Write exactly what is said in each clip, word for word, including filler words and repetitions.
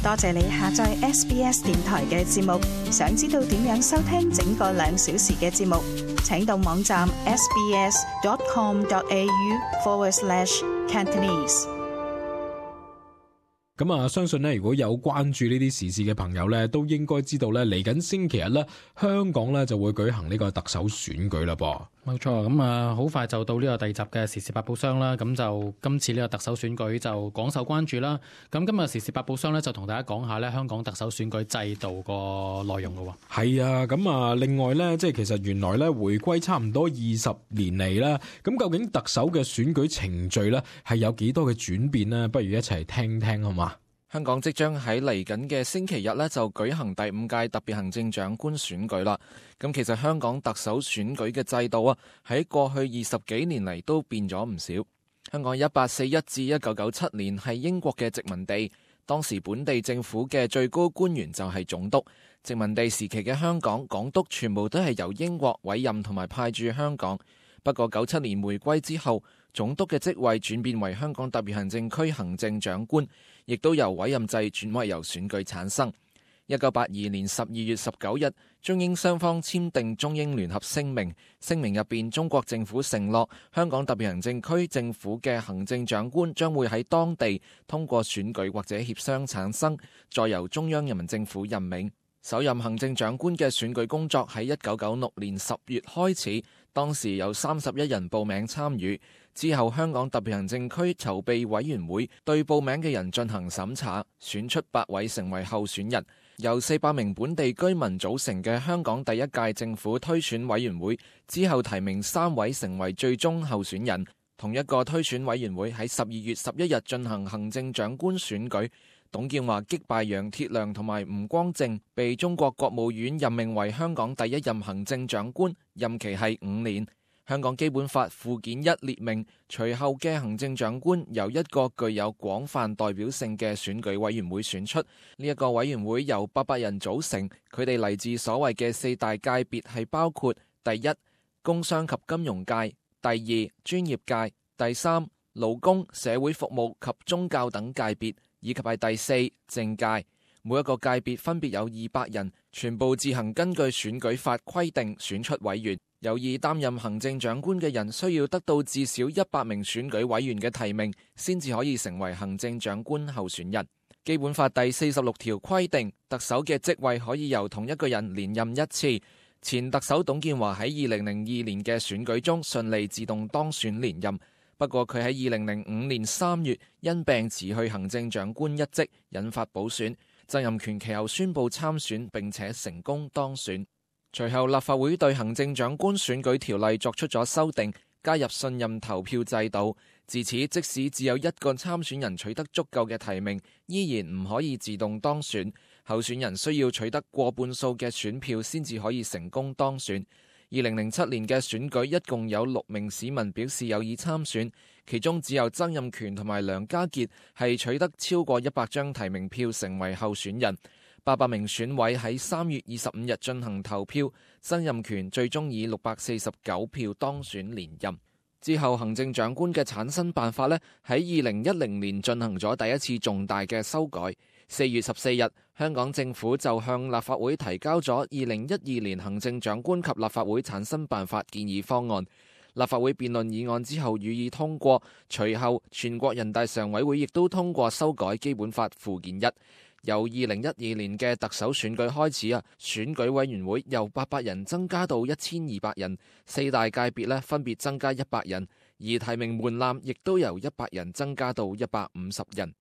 多謝你下載 S B S 電台嘅節目。想知道點樣收聽整個兩小時嘅節目，請到網站 sbs.com.au forward slash Cantonese。咁啊，相信咧，如果有關注呢啲時事嘅朋友咧，都應該知道咧，嚟緊星期日咧，香港咧就會舉行呢個特首選舉啦噃。冇錯，咁啊，好快就到呢個第二集嘅時事百寶箱啦。咁就今次呢個特首選舉就廣受關注啦。咁今日時事百寶箱咧就同大家講下咧香港特首選舉制度個內容咯。係啊，咁啊，另外咧，即係其實原來咧回歸差唔多二十年嚟啦，咁究竟特首嘅選舉程序咧係有幾多嘅轉變呢？不如一齊聽聽好嘛？香港即將喺嚟緊嘅星期日呢，就舉行第五屆特別行政長官選舉啦。咁其實香港特首選舉嘅制度啊，喺過去二十幾年嚟都變咗唔少。香港一八四一至一九九七年係英國嘅殖民地，當時本地政府嘅最高官員就係總督。殖民地時期嘅香港港督全部都係由英國委任同埋派駐香港。不過九七年回歸之後，總督嘅職位轉變為香港特別行政區行政長官，亦都由委任制轉為由選舉產生。一九八二年十二月十九日，中英雙方簽訂中英聯合聲明，聲明入邊中國政府承諾香港特別行政區政府嘅行政長官將會喺當地通過選舉或者協商產生，再由中央人民政府任命。首任行政長官嘅選舉工作喺一九九六年十月開始，當時有三十一人報名參與。之後香港特別行政區籌備委員會對報名嘅人進行審查，選出八位成為候選人。由四百名本地居民組成嘅香港第一屆政府推選委員會之後提名三位成為最終候選人。同一個推選委員會喺十二月十一日進行行政長官選舉。董建華擊敗楊鐵樑同埋吳光正，被中國國務院任命為香港第一任行政長官，任期係五年。香港基本法附件一列明，隨後嘅行政長官由一個具有廣泛代表性嘅選舉委員會選出。呢一個委員會由八百人組成，佢哋嚟自所謂嘅四大界別係包括第一，工商及金融界；第二，專業界；第三，勞工、社會服務及宗教等界別。以及係第四，政界。每一個界別分別有二百人，全部自行根據選舉法規定選出委員。有意擔任行政長官嘅人需要得到至少一百名選舉委員嘅提名，先至可以成為行政長官候選人。基本法第四十六條規定，特首嘅職位可以由同一個人連任一次。前特首董建華喺二零零二年嘅選舉中順利自動當選連任。不過佢喺二零零五年三月因病辭去行政長官一職，引發補選。曾蔭權其後宣布參選，並且成功當選。隨後立法會對行政長官選舉條例作出咗修訂，加入信任投票制度。自此，即使只有一個參選人取得足夠嘅提名，依然唔可以自動當選。候選人需要取得過半數嘅選票先至可以成功當選。二零零七年嘅選舉一共有六名市民表示有意參選，其中只有曾蔭權同埋梁家傑係取得超過一百張提名票成為候選人。八百名選委喺三月二十五日進行投票，曾蔭權最終以六百四十九票當選連任。之後行政長官嘅產生辦法呢，喺二零一零年進行咗第一次重大嘅修改。四月十四日，香港政府就向立法會提交咗二零一二年行政長官及立法會產生辦法建議方案。立法會辯論議案之後予以通過，隨後全國人大常委會亦都通過修改基本法附件一。由二零一二年嘅特首選舉開始啊，選舉委員會由八百人增加到一千二百人，四大界別呢分別增加一百人，而提名門檻亦都由一百人增加到一百五十人。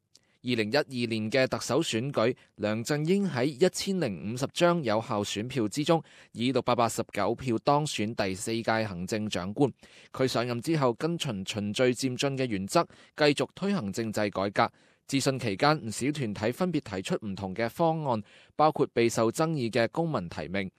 二零一二年嘅特首選舉，梁振英喺一千零五十張有效選票之中，以六百八十九票當選第四屆行政長官。佢上任之後，跟循循序漸進嘅原則，繼續推行政制改革。諮詢期間，唔少團體分別提出唔同嘅方案，包括備受爭議嘅公民提名。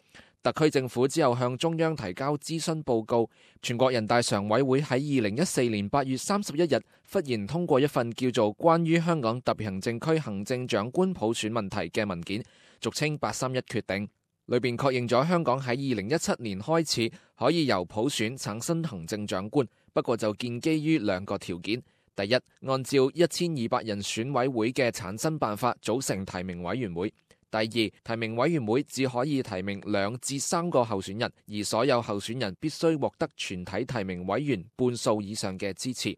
特區政府之後向中央提交諮詢報告，全國人大常委會喺二零一四年八月三十一日忽然通過一份叫做《關於香港特別行政區行政長官普選問題》嘅文件，俗稱八三一決定，裏邊確認咗香港喺二零一七年開始可以由普選產生行政長官，不過就建基於兩個條件。第一，按照一千二百人選委會嘅產生辦法組成提名委員會。第二，提名委員會只可以提名兩至三個候選人，而所有候選人必須獲得全體提名委員半數以上嘅支持。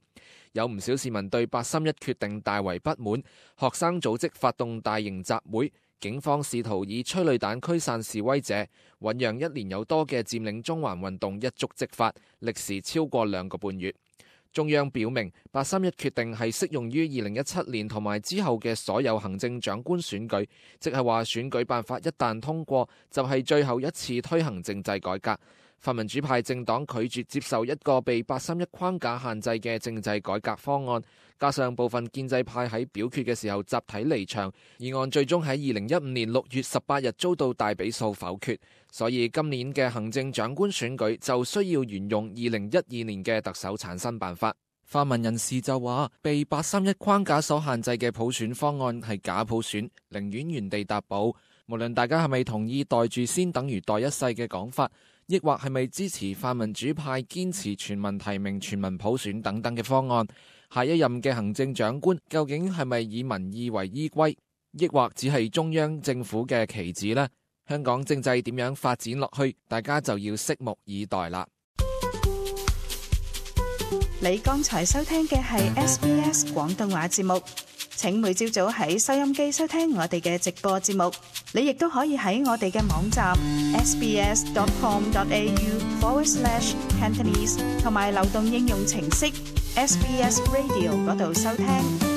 有唔少市民對八三一決定大為不滿，學生組織發動大型集會，警方試圖以催淚彈驅散示威者，醞釀一年有多嘅佔領中環運動一觸即發，歷時超過兩個半月。中央表明，八三一決定係適用於二零一七年同埋之後嘅所有行政長官選舉，即係話選舉辦法一旦通過，就係最後一次推行政制改革。泛民主派政黨拒絕接受一個被八三一框架限制嘅政制改革方案，加上部分建制派喺表決嘅時候集體離場，議案最終喺二零一五年六月十八日遭到大比數否決，所以今年嘅行政長官選舉就需要沿用二零一二年嘅特首產生辦法。泛民人士就話，被八三一框架所限制嘅普選方案係假普選，寧願原地踏步。無論大家係咪同意袋住先等於袋一世嘅講法，抑或係咪支持泛民主派堅持全民提名、全民普選等等嘅方案，下一任嘅行政長官究竟係咪以民意為依歸，抑或只係中央政府嘅棋子呢？香港政制點樣發展落去，大家就要拭目以待啦。你剛才收聽嘅係 S B S 廣東話節目，請每朝早喺收音機收聽我哋嘅直播節目。你亦都可以喺我哋嘅網站 sbs.com.au forward slash Cantonese 同埋流動應用程式 S B S Radio 嗰度收聽。